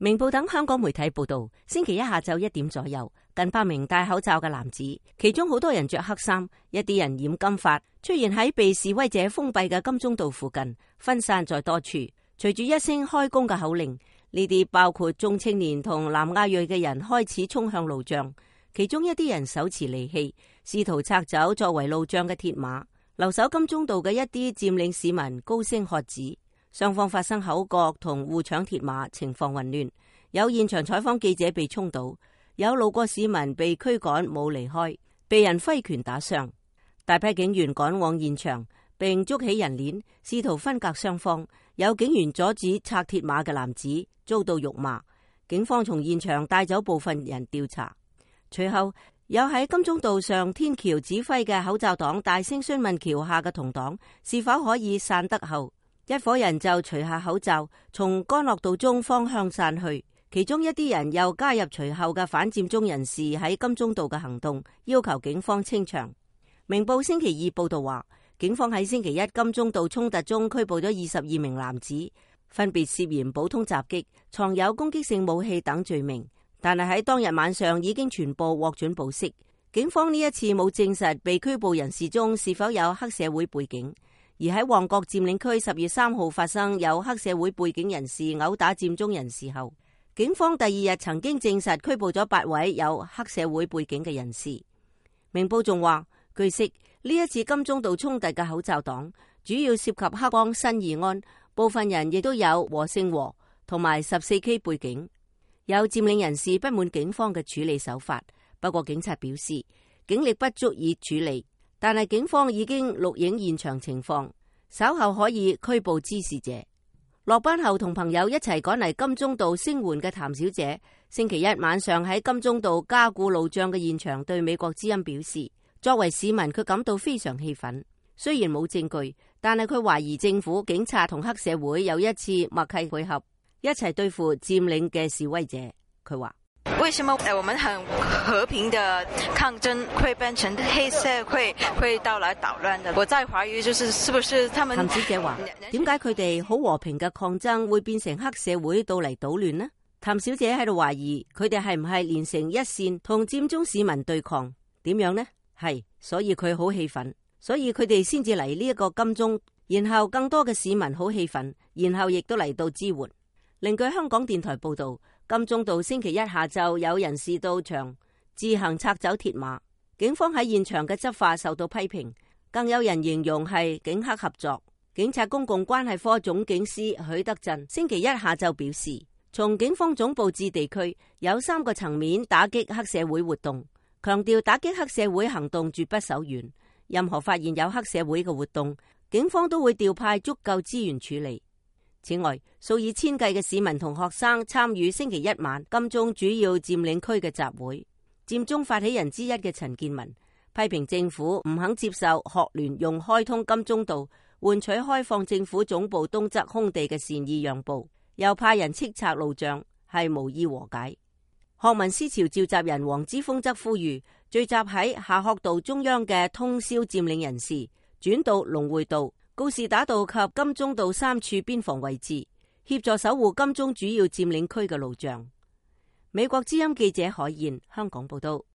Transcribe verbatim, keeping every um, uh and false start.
明報等香港媒體報道，星期一下晝一點左右，近百名戴口罩嘅男子，其中好多人着黑衫，一啲人染金髮，出現喺被示威者封閉嘅金鐘道附近，分散在多處。隨住一聲開工嘅口令，呢啲包括中青年同南亞裔嘅人開始衝向路障，其中一啲人手持利器，試圖拆走作為路障嘅鐵馬。留守金鐘道嘅一啲佔領市民高聲喝止。雙方發生口角同互搶鐵馬，情況混亂。有現場採訪記者被衝倒，有路過市民被驅趕冇離開，被人揮拳打傷。大批警員趕往現場，並捉起人鏈，試圖分隔雙方。有警員阻止拆鐵馬嘅男子，遭到辱罵。警方從現場帶走部分人調查。隨後有喺金鐘道上天橋指揮嘅口罩黨大聲詢問橋下嘅同黨是否可以散得後，一夥人就除下口罩，從干諾道中方向散去。其中一啲人又加入隨後嘅反佔中人士喺金鐘道嘅行動，要求警方清場。明報星期二報道話，警方喺星期一金鐘道衝突中拘捕咗二十二名男子，分別涉嫌普通襲擊、藏有攻擊性武器等罪名，但係喺當日晚上已經全部獲准保釋。警方呢一次冇證實被拘捕人士中是否有黑社會背景。而喺旺角佔領區十月三號發生有黑社會背景人士毆打佔中人士後，警方第二日曾經證實拘捕咗八位有黑社會背景嘅人士。明報仲話，據悉呢一次金鐘道衝突嘅口罩黨主要涉及黑幫新義安，部分人亦都有和勝和同埋十四 K 背景。有佔領人士不滿警方嘅處理手法，不過警察表示警力不足以處理。但係警方已經錄影現場情況，稍後可以拘捕滋事者。落班後同朋友一齊趕嚟金鐘道聲援嘅譚小姐，星期一晚上喺金鐘道加固路障嘅現場對美國之音表示，作為市民佢感到非常氣憤。雖然冇證據，但係佢懷疑政府、警察同黑社會有一次默契配合，一齊對付佔領嘅示威者。佢話，為什麼我們很和平的抗爭會變成黑社會會到來搗亂的？我在懷疑，就是是不是他們？譚小姐話，點解佢哋好和平嘅抗爭會變成黑社會到嚟搗亂呢？譚小姐喺度懷疑佢哋係唔係連成一線同佔中市民對抗？點樣呢？係，所以佢好氣憤，所以佢哋先至嚟呢一個金鐘，然後更多嘅市民好氣憤，然後亦都嚟到支援。另據香港電台報道，金鐘道星期一下晝有人士到場自行拆走鐵馬，警方喺現場嘅執法受到批評，更有人形容係警黑合作。警察公共關係科總警司許德振星期一下晝表示，從警方總部至地區有三個層面打擊黑社會活動，強調打擊黑社會行動絕不手軟，任何發現有黑社會嘅活動，警方都會調派足夠資源處理。此外，數以千計嘅市民同學生參與星期一晚金鐘主要佔領區嘅集會。佔中發起人之一嘅陳健民批評政府唔肯接受學聯用開通金鐘道換取開放政府總部東側空地嘅善意讓步，又派人斥拆路障，係無意和解。學民思潮召集人黃之鋒則呼籲聚集喺夏愨道中央嘅通宵佔領人士轉到龍匯道、告士打道及金鐘道三處邊防位置，協助守護金鐘主要佔領區嘅路障。美國之音記者海燕香港報道。